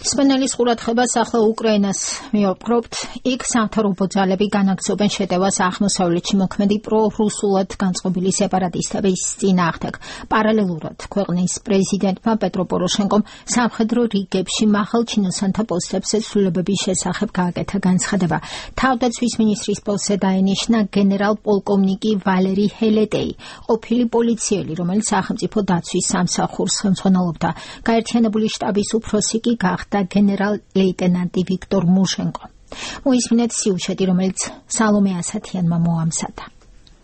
მსმენელის ყურადღებას ახლა უკრაინას მივაპყრობთ. იქ სამთავრობო ძალები განაგრძობენ შეტევას აღმოსავლეთში მოქმედი პრორუსულად განწყობილი სეპარატისტების წინააღმდეგ. პარალელურად ქვეყნის პრეზიდენტმა პეტრო პოროშენკომ სამხედრო რიგებში მაღალჩინოსანთა პოსტებზე ცვლილებების შესახებ გააკეთა განცხადება. თავდაცვის მინისტრის პოსტზე დაენიშნა გენერალ-პოლკოვნიკი ვალერი ჰელეტეი, ყოფილი პოლიციელი, რომელიც სახელმწიფო დაცვის სამსახურს ხელმძღვანელობდა. გაერთიანებული შტაბის უფროსი კი გახდა გენერალ-ლეიტენანტი ვიქტორ მუშენკო. მოისმინეთ სიუჟეტი, რომელიც სალომე ასათიანმა მოამზადა.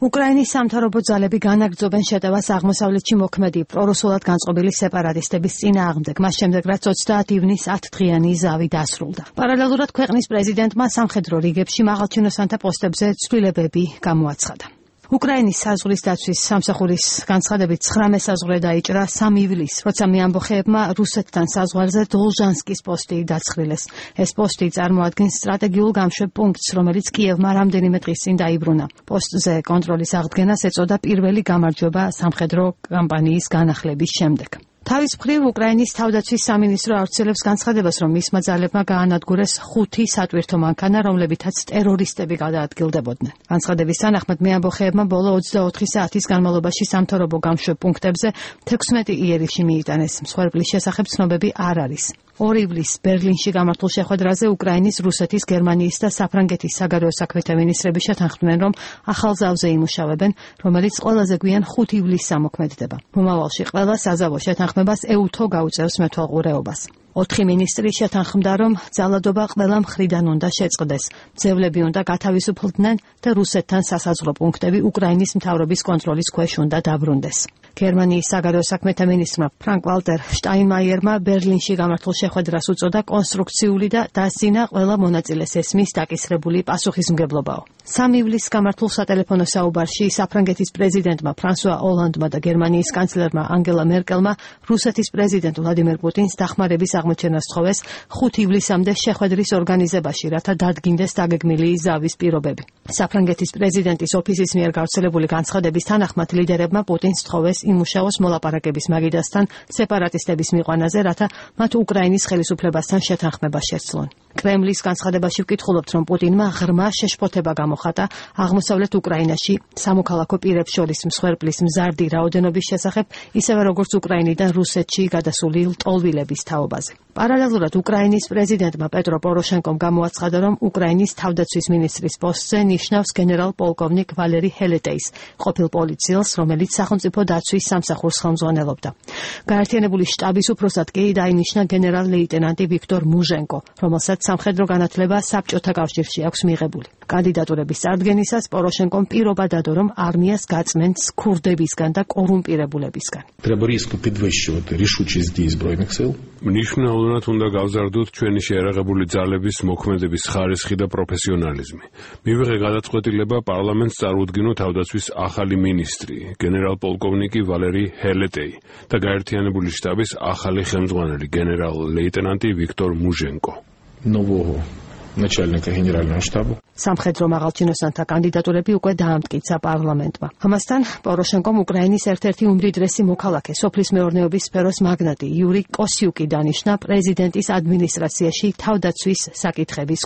უკრაინის სამთავრობო ძალები განაგრძობენ შეტევას აღმოსავლეთში მოქმედი პრორუსულად განწყობილი სეპარატისტების წინააღმდეგ, მას შემდეგ რაც 30 ივნის 10 დღიანი ზავი დასრულდა. პარალელურად ქვეყნის პრეზიდენტმა სამხედრო რიგებში მაღალჩინოსანთა პოსტებზე ცვლილებები გამოაცხადა. უკრაინის საზღვრის დაცვის სამსახურის განცხადებით 9 საზღვრე დაიჭრა 3 ივლისს, როცა მეამბოხეებმა რუსეთთან საზღვარზე დოლჟანსკის პოსტი დაცხრილეს. ეს პოსტი წარმოადგენს სტრატეგიულ გამშვებ პუნქტს, რომელიც კიევმა რამდენიმე დღის წინ დაიბრუნა. პოსტზე კონტროლის აღდგენას ეწოდა პირველი გამარჯვება სამხედრო კამპანიის განახლების შემდეგ. თავის მხრივ უკრაინის თავდაცვის სამინისტრო ავრცელებს განცხადებას, რომ მისმა ძალებმა გაანადგურეს 5 სატვირთო მანქანა, რომლებითაც ტერორისტები გადაადგილდებოდნენ. განცხადების თანახმად მეამბოხეებმა ბოლო 24 საათის განმავლობაში სამთავრობო გამშვებ პუნქტებზე 16 იერიში მიიტანეს. მსხვერპლის შესახებ ცნობები არ არის. 2 ივლისს ბერლინში გამართულ შეხვედრაზე უკრაინის, რუსეთის, გერმანიის და საფრანგეთის საგარეო საქმეთა მინისტრები შეთანხმდნენ, რომ ახალ ზავზე იმუშავებენ, რომელიც ყველაზე გვიან 5 ივლისს ამოქმედდება. მომავალში ყველა საზავო შეთანხმებას ეუთო გაუწევს მეთვალყურეობას. 4 მინისტრი შეთანხმდა, რომ ძალადობა ყველა მხრიდან უნდა შეწყდეს. ძევლები უნდა გათავისუფლდნენ და რუსეთთან სასაზღვრო პუნქტები უკრაინის მთავრობის კონტროლის ქვეშ უნდა დაბრუნდეს. გერმანიის საგარეო საქმეთა მინისტრმა ფრანკ ვალტერ შტაინმაიერმა ბერლინში გამართულ შეხვედრას უწოდა კონსტრუქციული და დასძინა ყველა მონაწილეს ესმის დაკისრებული პასუხისმგებლობაო. 3 ივლისს გამართულ სატელეფონო საუბარში საფრანგეთის პრეზიდენტმა ფრანსუა ოლანდმა და გერმანიის კანცლერმა ანგელა მერკელმა რუსეთის პრეზიდენტ ვლადიმერ პუტინს დახმარების აღმოჩენას თხოვეს 5 ივლისამდე შეხვედრის ორგანიზებაში, რათა დადგინდეს დაგეგმილი ზავის პირობები. საფრანგეთის პრეზიდენტის ოფისის მიერ გავრცელებული განცხადების თანახმად ლიდერებმა პუტინს თხოვეს იმუშაოს მოლაპარაკების მაგიდასთან სეპარატისტების მიყვანაზე, რათა მათ უკრაინის ხელისუფლებასთან შეთანხმება შესძლონ. კრემლის განცხადებაში ვკითხულობთ, რომ პუტინმა ღრმა შეშფოთება გამოხატა აღმოსავლეთ უკრაინაში სამოქალაქო პირებს შორის მსხვერპლის მზარდი რაოდენობის შესახებ, ისევე როგორც უკრაინიდან რუსეთში გადასული ლტოლვილების თაობაზე. პარალელურად უკრაინის პრეზიდენტმა პეტრო პოროშენკომ გამოაცხადა, რომ უკრაინის თავდაცვის მინისტრის პოსტზე ნიშნავს გენერალ-პოლკოვნიკ ვალერი ჰელეტეის, ყოფილ პოლიციელს, რომელიც სახელმწიფო დაცვის სამსახურს ხელმძღვანელობდა. გაერთიანებული შტაბის უფროსად კი დაინიშნა გენერალ-ლეიტენანტი ვიქტორ მუჟენკო, რომელსაც სამხედრო განათლება საბჭოთა კავშირში აქვს მიღებული. კანდიდატურების წარდგენისას პოროშენკომ პირობა დადო, რომ არმიას გაწმენს ქურდებისგან და კორუმპირებულებისგან. Треба різко підвищувати рішучість дій збройних сил. მნიშვნელოვნად უნდა გავზარდოთ ჩვენი შეიარაღებული ძალების მოქმედების ხარისხი და პროფესიონალიზმი. მივიღე გადაწყვეტილება პარლამენტს წარუდგინო თავდაცვის ახალი მინისტრი, გენერალ-პოლკოვნიკი ვალერი ჰელეტეი და გაერთიანებული შტაბის ახალი ხელმძღვანელი, გენერალ-ლეიტენანტი ვიქტორ მუჟენკო. Нового начальника генерального штабу. სამხედრო მაღალჩინოსანთა კანდიდატურები უკვე დაამტკიცა პარლამენტმა. ამასთან პოროშენკომ უკრაინის ერთ-ერთი უმდიდრესი მოქალაქე, სოფლის მეურნეობის სფეროს მაგნატი იური კოსიუკი დანიშნა პრეზიდენტის ადმინისტრაციაში თავდაცვის საკითხების